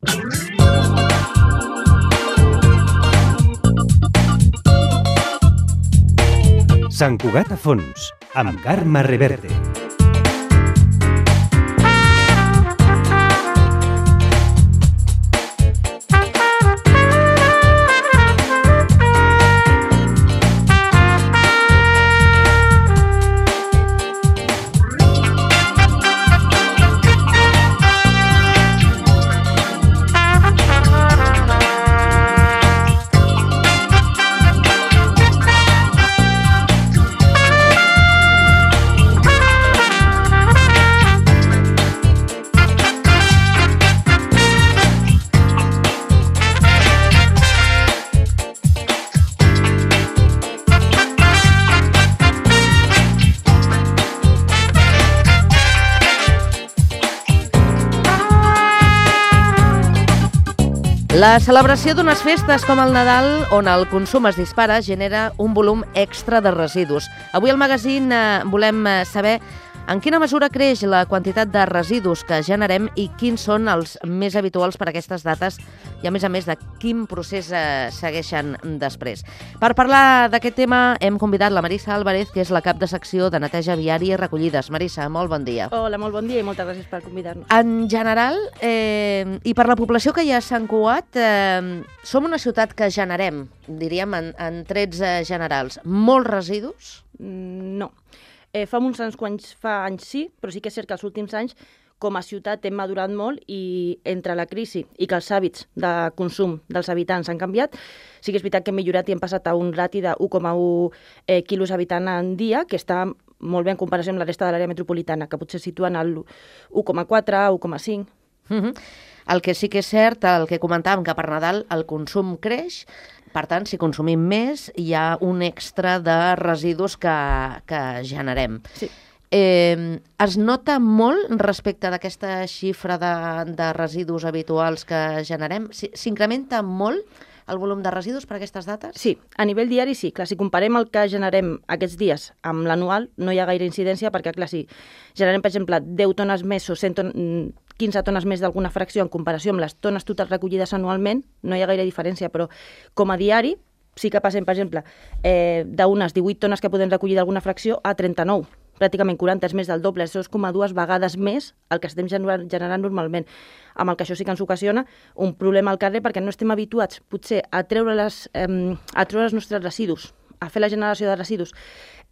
Sant Cugat a fons, amb Carme Reverte. La celebració d'unes festes com el Nadal, on el consum es dispara, genera un volum extra de residus. Avui al magazín volem saber en quina mesura creix la quantitat de residus que generem i quins són els més habituals per a aquestes dates i, a més, de quin procés segueixen després. Per parlar d'aquest tema hem convidat la Marissa Álvarez, que és la cap de secció de neteja viària i recollides. Marissa, molt bon dia. Hola, molt bon dia i moltes gràcies per convidar-nos. En general, i per la població que hi ha a Sant Cugat, som una ciutat que generem, diríem, en trets generals, molts residus? No. Fa anys sí, però sí que és cert que els últims anys com a ciutat hem madurat molt i entre la crisi i que els hàbits de consum dels habitants han canviat, sí que és veritat que hem millorat i hem passat a un rati de 1,1 quilos habitant en dia, que està molt bé en comparació amb la resta de l'àrea metropolitana, que potser situen al 1,4, 1,5. El que sí que és cert, el que comentàvem, que per Nadal el consum creix. Per tant, si consumim més, hi ha un extra de residus que generem. Sí. Es nota molt respecte d'aquesta xifra de residus habituals que generem? S'incrementa molt el volum de residus per aquestes dates? Sí, a nivell diari sí. Clar, si comparem el que generem aquests dies amb l'anual, no hi ha gaire incidència perquè, clar, si generem, per exemple, 10 tones més o 15 tones més d'alguna fracció en comparació amb les tones totals recollides anualment, no hi ha gaire diferència, però com a diari sí que passem, per exemple, d'unes 18 tones que podem recollir d'alguna fracció a 39, pràcticament 40, és més del doble, és 2,2 vegades més el que estem generant normalment. Amb el que això sí que ens ocasiona un problema al carrer perquè no estem habituats potser a treure els nostres residus, a fer la generació de residus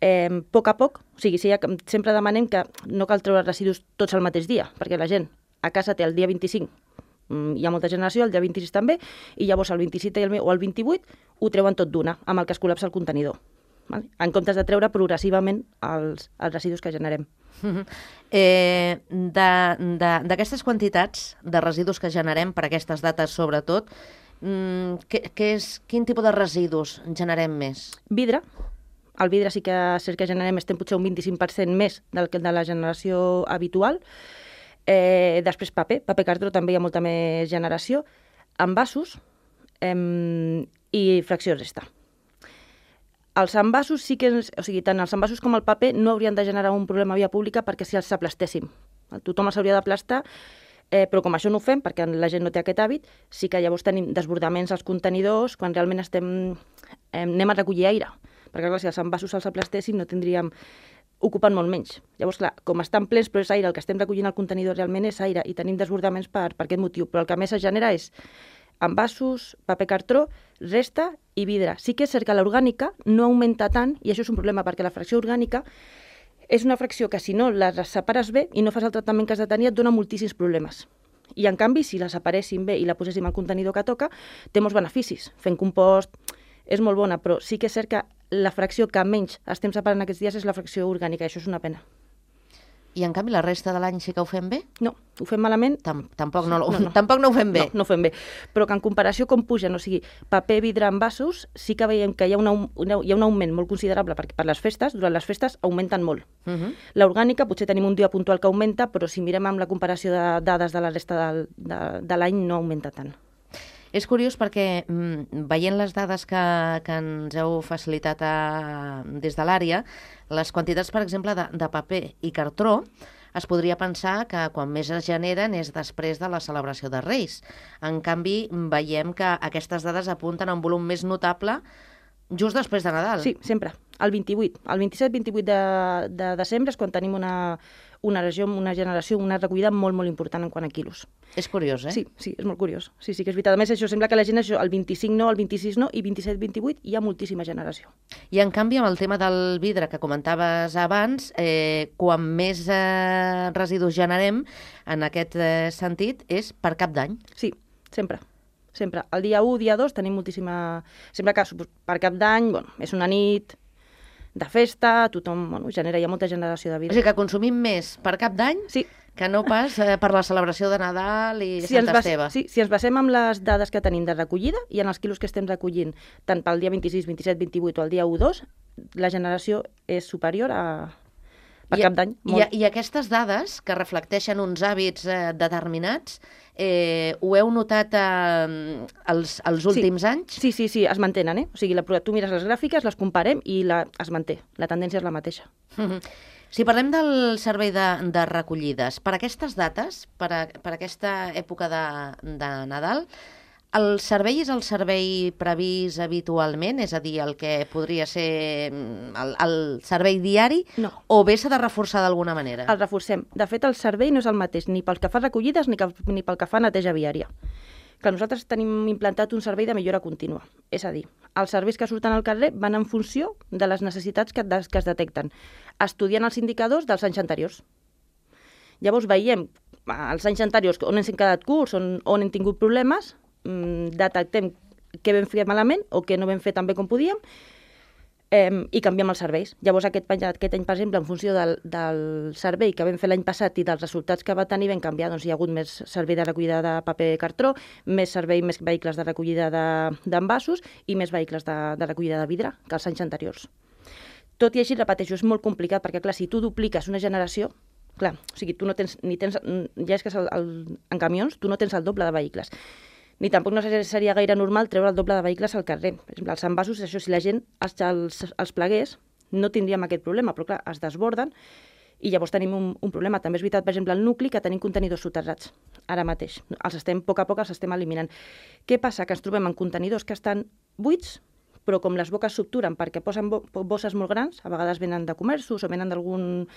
a poc, o sigui, sempre demanem que no cal treure residus tots al mateix dia, perquè la gent a casa té el dia 25, hi ha molta generació, el dia 26 també, i llavors el 27 o el 28 ho treuen tot d'una, amb el que es col·lapsa el contenidor, vale? En comptes de treure progressivament els residus que generem. D'aquestes quantitats de residus que generem per aquestes dates, sobretot, quin tipus de residus generem més? Vidre. El vidre sí que és cert que generem, estem potser un 25% més de la generació habitual. Després paper cartró també hi ha molta més generació, envasos i fracció resta. Els envasos sí que, o sigui, tant els envasos com el paper no haurien de generar un problema a via pública perquè si els aplastéssim. Tothom els hauria d'aplastar, però com això no ho fem, perquè la gent no té aquest hàbit, sí que llavors tenim desbordaments als contenidors quan realment anem a recollir aire. Perquè clar, si els envasos els aplastéssim no tindríem ocupen molt menys. Llavors, clar, com estan plens, però és aire, el que estem recollint al contenidor realment és aire i tenim desbordaments per aquest motiu. Però el que més es genera és envasos, paper cartró, resta i vidre. Sí que és cert que l'orgànica no augmenta tant i això és un problema perquè la fracció orgànica és una fracció que si no la separes bé i no fas el tractament que has de tenir et dona moltíssims problemes. I en canvi, si la separéssim bé i la poséssim al contenidor que toca, té molts beneficis. Fent compost és molt bona, però sí que és cert que la fracció que menys estem separant aquests dies és la fracció orgànica, i això és una pena. I en canvi la resta de l'any sí que ho fem bé? No, ho fem malament. Tampoc no ho fem bé. No ho fem bé, però que en comparació com pugen, o sigui, paper, vidre, envasos, sí que veiem que hi ha un augment molt considerable perquè per les festes, durant les festes augmenten molt. L'orgànica potser tenim un dia puntual que augmenta, però si mirem amb la comparació de dades de la resta de l'any no augmenta tant. És curiós perquè, veient les dades que ens heu facilitat des de l'àrea, les quantitats, per exemple, de paper i cartró es podria pensar que quan més es generen és després de la celebració de Reis. En canvi, veiem que aquestes dades apunten a un volum més notable just després de Nadal. Sí, sempre. El 28. El 27-28 de desembre és quan tenim una generació, una recollida molt, molt important en quant a quilos. És curiós, eh? Sí, és molt curiós. Sí, que és veritat. A més, això sembla que la gent, el 25 no, el 26 no, i 27-28 hi ha moltíssima generació. I en canvi, amb el tema del vidre que comentaves abans, quan més residus generem, en aquest sentit, és per cap d'any. Sí, sempre. Sempre. El dia 1, dia 2 tenim moltíssima... Sempre que per cap d'any, és una nit de festa, tothom genera, hi ha molta generació de vidre. O sigui que consumim més per cap d'any que no pas per la celebració de Nadal i Sant Esteve. Sí, si ens basem en les dades que tenim de recollida i en els quilos que estem recollint tant pel dia 26, 27, 28 o el dia 1, 2, la generació és superior a... per cap d'any. I aquestes dades que reflecteixen uns hàbits determinats, ho heu notat els últims anys? Sí, es mantenen, O sigui, tu mires les gràfiques, les comparem i es manté. La tendència és la mateixa. Si parlem del servei de recollides, per aquestes dates, per aquesta època de Nadal, el servei és el servei previst habitualment? És a dir, el que podria ser el servei diari? No. O bé s'ha de reforçar d'alguna manera? El reforcem. De fet, el servei no és el mateix ni pel que fa recollides ni pel que fa neteja viària. Clar, nosaltres tenim implantat un servei de millora contínua. És a dir, els serveis que surten al carrer van en funció de les necessitats que es detecten, estudiant els indicadors dels anys anteriors. Llavors veiem els anys anteriors on ens hem quedat curts, on hem tingut problemes, detectem què vam fer malament o què no vam fer tan bé com podíem i canviem els serveis. Llavors aquest any, per exemple, en funció del servei que vam fer l'any passat i dels resultats que va tenir, vam canviar. Doncs hi ha hagut més servei de recollida de paper cartró, més vehicles de recollida d'envasos i més vehicles de recollida de vidre que els anys anteriors. Tot i així, repeteixo, és molt complicat perquè, clar, si tu dupliques una generació, clar, o sigui, tu no tens, ja és que en camions tu no tens el doble de vehicles. Ni tampoc no seria gaire normal treure el doble de vehicles al carrer. Per exemple, els envasos, això, si la gent els plegués, no tindríem aquest problema, però clar, es desborden i llavors tenim un problema. També és veritat, per exemple, al nucli, que tenim contenidors soterrats ara mateix. A poc a poc els estem eliminant. Què passa? Que ens trobem en contenidors que estan buits, però com les boques s'obturen perquè posen bosses molt grans, a vegades venen de comerços o venen d'algun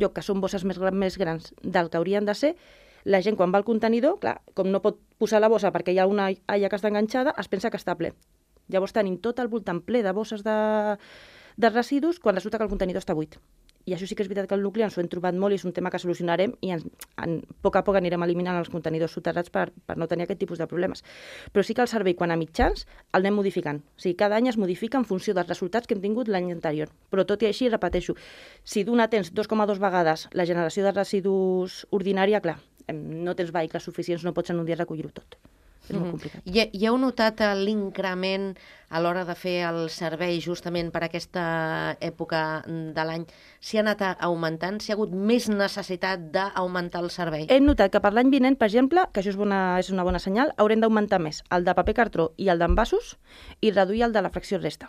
lloc que són bosses més grans del que haurien de ser, la gent quan va al contenidor, clar, com no pot posar la bossa perquè hi ha una alla que està enganxada, es pensa que està ple. Llavors tenim tot al voltant ple de bosses de residus quan resulta que el contenidor està buit. I això sí que és veritat que al nucli ens ho hem trobat molt i és un tema que solucionarem i a poc a poc anirem eliminant els contenidors soterrats per no tenir aquest tipus de problemes. Però sí que el servei, quan a mitjans, el anem modificant. O sigui, cada any es modifica en funció dels resultats que hem tingut l'any anterior. Però tot i així, repeteixo, si d'una tens 2,2 vegades la generació de residus ordinària, clar, no tens vehicles suficients, no pots en un dia recollir-ho tot. És molt complicat. I heu notat l'increment a l'hora de fer el servei justament per aquesta època de l'any? Si ha anat augmentant? Si ha hagut més necessitat d'augmentar el servei? Hem notat que per l'any vinent, per exemple, que això és una bona senyal, haurem d'augmentar més el de paper cartró i el d'envasos i reduir el de la fracció resta.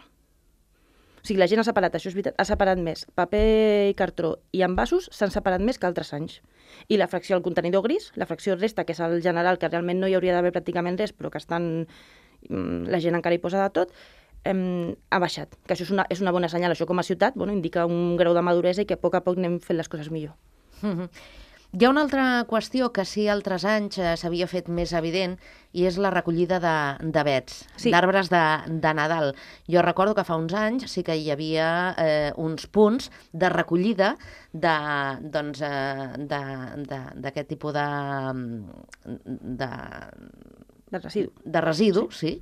O sigui, la gent ha separat, això és veritat, ha separat més. Paper i cartró i envasos s'han separat més que altres anys. I la fracció, el contenidor gris, la fracció resta, que és el general, que realment no hi hauria d'haver pràcticament res, però que la gent encara hi posa de tot, ha baixat. Que això és una bona senyal. Això com a ciutat indica un grau de maduresa i que a poc anem fent les coses millor. Hi ha una altra qüestió que sí altres anys s'havia fet més evident i és la recollida d'avets, d'arbres de Nadal. Jo recordo que fa uns anys sí que hi havia uns punts de recollida d'aquest tipus de residu, sí,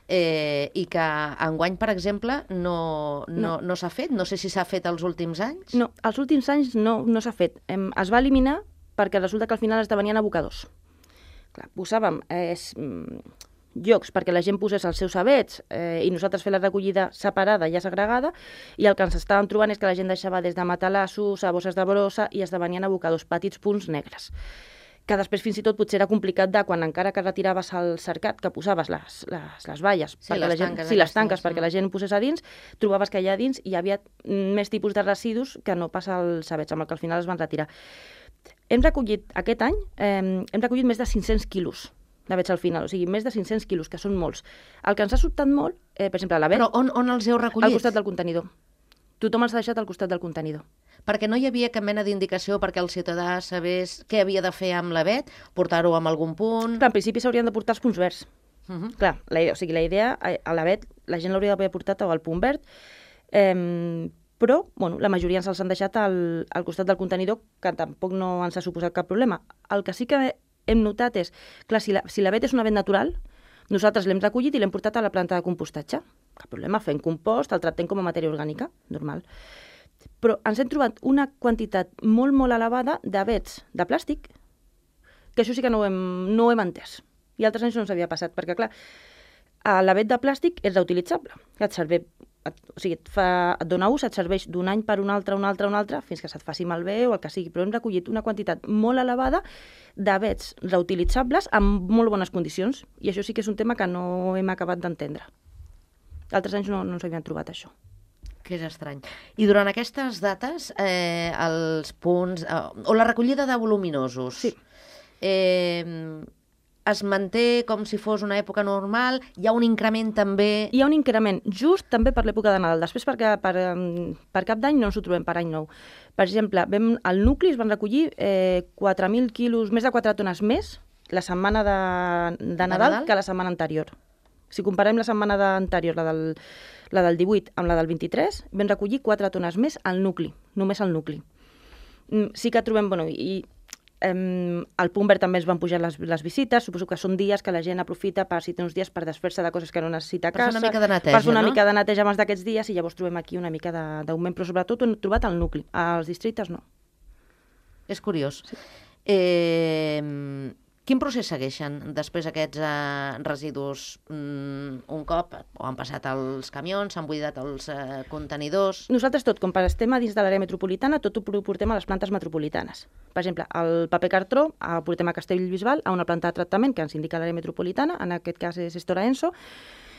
i que enguany, per exemple, no s'ha fet. No sé si s'ha fet els últims anys. No, els últims anys no s'ha fet. Es va eliminar perquè resulta que al final esdevenien abocadors. Clar, posàvem llocs perquè la gent posés els seus avets i nosaltres fer la recollida separada, ja segregada, i el que ens estàvem trobant és que la gent deixava des de matalassos a bosses de brossa i esdevenien abocadors, petits punts negres. que després fins i tot potser era complicat de quan encara que retiraves el cercat, que posaves les valles, Sí, perquè les la gent, tanques sí, les aquestes, tanques, perquè la gent ho posés a dins, trobaves que allà dins hi havia més tipus de residus que no passa als avets, amb el que al final es van retirar. Hem recollit, aquest any, hem recollit més de 500 quilos d'avets al final, o sigui, més de 500 quilos, que són molts. El que ens ha sobtat molt, per exemple, l'avet, Però on els heu recollit? al costat del contenidor. Tothom els ha deixat al costat del contenidor. Perquè no hi havia cap mena d'indicació perquè el ciutadà sabés què havia de fer amb l'avet, portar-ho en algun punt... Clar, en principi s'haurien de portar els punts verds. Clar, la idea, a l'avet, la gent l'hauria d'haver portat al punt verd, però bueno, la majoria ens els han deixat al costat del contenidor, que tampoc no ens ha suposat cap problema. El que sí que hem notat és, clar, si l'avet és un avet natural, nosaltres l'hem recollit i l'hem portat a la planta de compostatge. Cap problema, fem compost, el tractem com a matèria orgànica, normal. Però ens hem trobat una quantitat molt, molt elevada d'avets de plàstic, que això sí que no ho hem entès. I altres anys no ens havia passat, perquè, clar, l'avet de plàstic és reutilitzable. O sigui, et dona ús, et serveix d'un any per un altre, fins que se't faci malbé o el que sigui, però hem recollit una quantitat molt elevada d'avets reutilitzables amb molt bones condicions, i això sí que és un tema que no hem acabat d'entendre. Altres anys no ens havien trobat això. Que és estrany. I durant aquestes dates, els punts... o la recollida de voluminosos... Sí. Es manté com si fos una època normal? Hi ha un increment també? Hi ha un increment, just també per l'època de Nadal. Després, per cap d'any no ens ho trobem per any nou. Per exemple, al nucli es van recollir 4.000 quilos, més de 4 tones més, la setmana de Nadal que la setmana anterior. Si comparem la setmana anterior, la del 18 amb la del 23, vam recollir 4 tones més al nucli, només al nucli. Sí que trobem, al punt verd també es van pujar les visites, suposo que són dies que la gent aprofita si té uns dies per desfer-se de coses que no necessita a casa. Per fer una mica de neteja, per fer una mica de neteja abans d'aquests dies, i llavors trobem aquí una mica d'augment, però sobretot ho hem trobat al nucli, als districtes no. És curiós. Sí. Quin procés segueixen després aquests residus? Un cop han passat els camions, s'han buidat els contenidors... Nosaltres tot, com estem a dins de l'àrea metropolitana, tot ho portem a les plantes metropolitanes. Per exemple, el paper cartró el portem a Castellbisbal, a una planta de tractament que ens indica l'àrea metropolitana, en aquest cas és Estora Enso.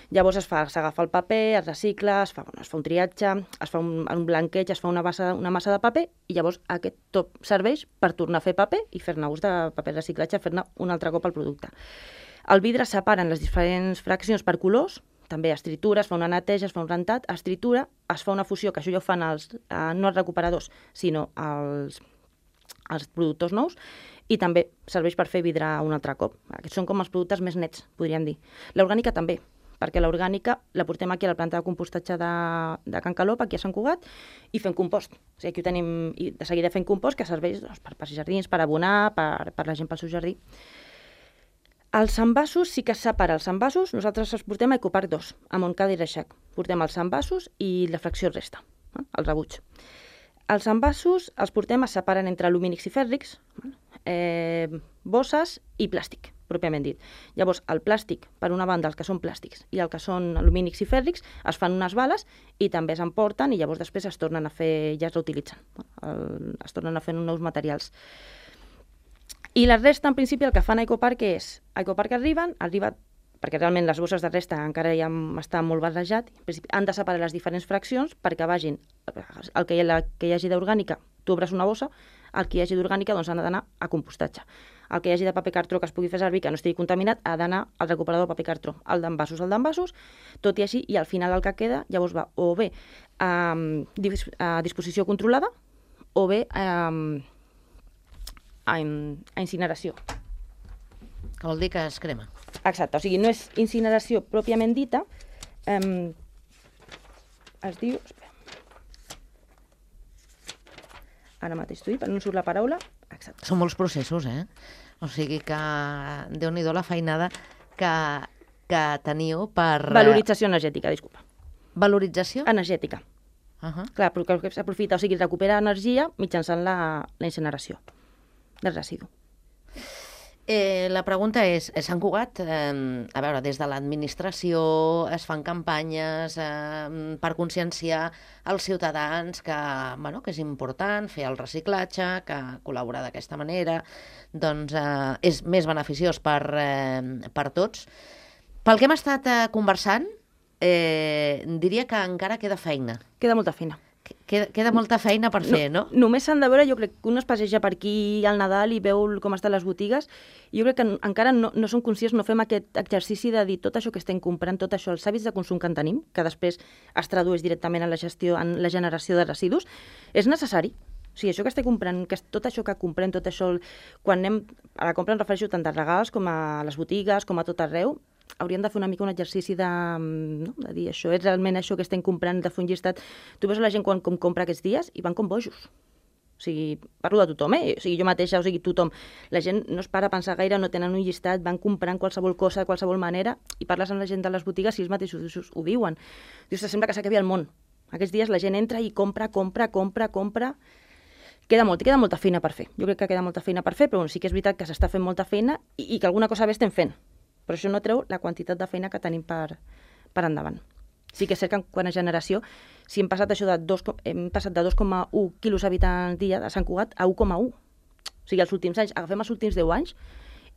Llavors s'agafa el paper, es recicla, es fa un triatge, es fa un blanqueig, es fa una massa de paper, i llavors aquest tot serveix per tornar a fer paper i fer-ne ús de paper de reciclatge, fer-ne un altre cop el producte. El vidre es separa en les diferents fraccions per colors, també es tritura, es fa una neteja, es fa un rentat, es tritura, es fa una fusió, que això ja ho fan no els recuperadors, sinó els productors nous, i també serveix per fer vidre un altre cop. Aquests són com els productes més nets, podríem dir. L'orgànica també, perquè l'orgànica la portem aquí a la planta de compostatge de Can Calop, aquí a Sant Cugat, i fem compost. O sigui, aquí ho tenim, i de seguida fem compost, que serveix per jardins, per abonar, per la gent pel seu jardí. Els envasos sí que es separa. Els envasos nosaltres els portem a Ecoparc 2, a Montcada i Reixac. Portem els envasos i la fracció resta, el rebuig. Els envasos els portem, es separen entre alumínics i fèrrics, bosses i plàstic, pròpiament dit. Llavors, el plàstic, per una banda, els que són plàstics i el que són alumínics i fèrrics, es fan unes bales i també s'emporten i llavors després es tornen a fer, ja es reutilitzen, es tornen a fer nous materials. I la resta, en principi, el que fan a Ecoparc és, a Ecoparc arriba, perquè realment les bosses de resta encara ja està molt barrejat, en principi han de separar les diferents fraccions perquè vagin, el que hi hagi d'orgànica, tu obres una bossa, el que hi hagi d'orgànica doncs ha d'anar a compostatge. El que hi hagi de paper cartró que es pugui fer servir, que no estigui contaminat, ha d'anar al recuperador de paper cartró. El d'envasos, tot i així, i al final el que queda llavors va o bé a disposició controlada o bé a incineració. Que vol dir que es crema. Exacte, o sigui, no és incineració pròpiament dita, es diu... Espera. Ara mateix t'ho dic, no surt la paraula. Exacte. Són molts processos, O sigui que Déu-n'hi-do la feinada que teniu per... Valorització energètica, disculpa. Valorització? Energètica. Clar, perquè s'aprofita, o sigui, recupera energia mitjançant la incineració del residu. La pregunta és, Sant Cugat, a veure, des de l'administració es fan campanyes per conscienciar els ciutadans que, bueno, que és important fer el reciclatge, que col·laborar d'aquesta manera doncs, és més beneficiós per tots. Pel que hem estat conversant, diria que encara queda feina. Queda molta feina. Queda molta feina per fer, no? Només s'han de veure, jo crec que un es passeja per aquí al Nadal i veu com estan les botigues, i jo crec que encara no som conscients, no fem aquest exercici de dir tot això que estem comprant, tot això, els hàbits de consum que en tenim, que després es tradueix directament en la gestió, en la generació de residus, és necessari. O sigui, això que estem comprant, tot això que comprem, tot això, quan anem a la compra em refereixo tant als regals com a les botigues, com a tot arreu, hauríem de fer una mica un exercici de dir això, és realment això que estem comprant, de fer un llistat. Tu veus la gent quan compra aquests dies i van com bojos. O sigui, parlo de tothom, O sigui, jo mateixa, o sigui, tothom. La gent no es para a pensar gaire, no tenen un llistat, van comprant qualsevol cosa de qualsevol manera, i parles amb la gent de les botigues i ells mateixos ho diuen. Dius, sembla que s'acabi el món. Aquests dies la gent entra i compra. Queda molta feina per fer. Jo crec que queda molta feina per fer, però sí que és veritat que s'està fent molta feina i que alguna cosa bé estem fent. Però això no treu la quantitat de feina que tenim per endavant. Sí que és cert que quant a generació, si hem passat això de 2,1 quilos habitants dia de Sant Cugat a 1,1. O sigui, els últims anys, agafem els últims 10 anys,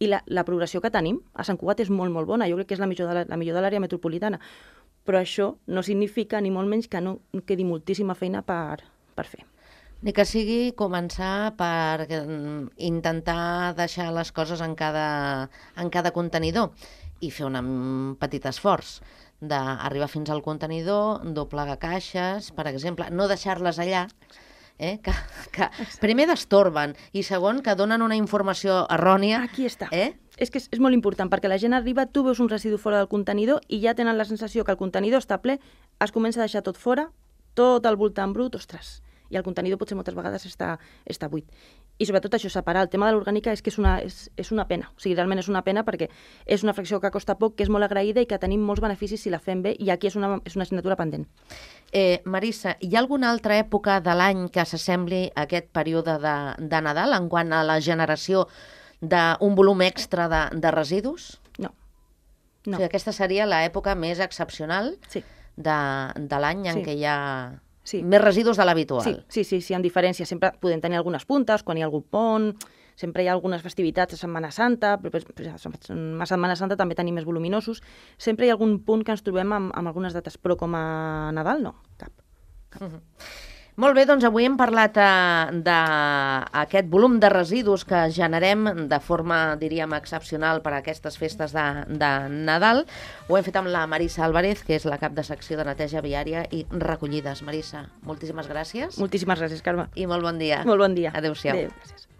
i la progressió que tenim a Sant Cugat és molt, molt bona. Jo crec que és la millor de l'àrea metropolitana. Però això no significa, ni molt menys, que no quedi moltíssima feina per fer. Ni que sigui començar per intentar deixar les coses en cada contenidor i fer un petit esforç d'arribar fins al contenidor, doblegar caixes, per exemple, no deixar-les allà, que primer destorben i segon que donen una informació errònia. Aquí està. És que és molt important, perquè la gent arriba, tu veus un residu fora del contenidor i ja tenen la sensació que el contenidor està ple, es comença a deixar tot fora, tot al voltant brut, ostres, i el contenidor potser moltes vegades està buit. I sobretot això, separar el tema de l'orgànica és que és una pena. O sigui, realment és una pena perquè és una fracció que costa poc, que és molt agraïda i que tenim molts beneficis si la fem bé, i aquí és una assignatura pendent. Marissa, hi ha alguna altra època de l'any que s'assembli a aquest període de Nadal en quant a la generació d'un volum extra de residus? No. O sigui, aquesta seria l'època més excepcional de l'any en què hi ha més residus de l'habitual. Sí, en diferència. Sempre podem tenir algunes puntes, quan hi ha algun pont, sempre hi ha algunes festivitats a Setmana Santa, però a Setmana Santa també tenim més voluminosos. Sempre hi ha algun punt que ens trobem amb algunes dates, però com a Nadal no, cap. Molt bé, doncs avui hem parlat d'aquest volum de residus que generem de forma, diríem, excepcional per a aquestes festes de Nadal. Ho hem fet amb la Marissa Álvarez, que és la cap de secció de neteja viària i recollides. Marissa, moltíssimes gràcies. Moltíssimes gràcies, Carme. I molt bon dia. Molt bon dia. Adéu-siau. Adéu, gràcies.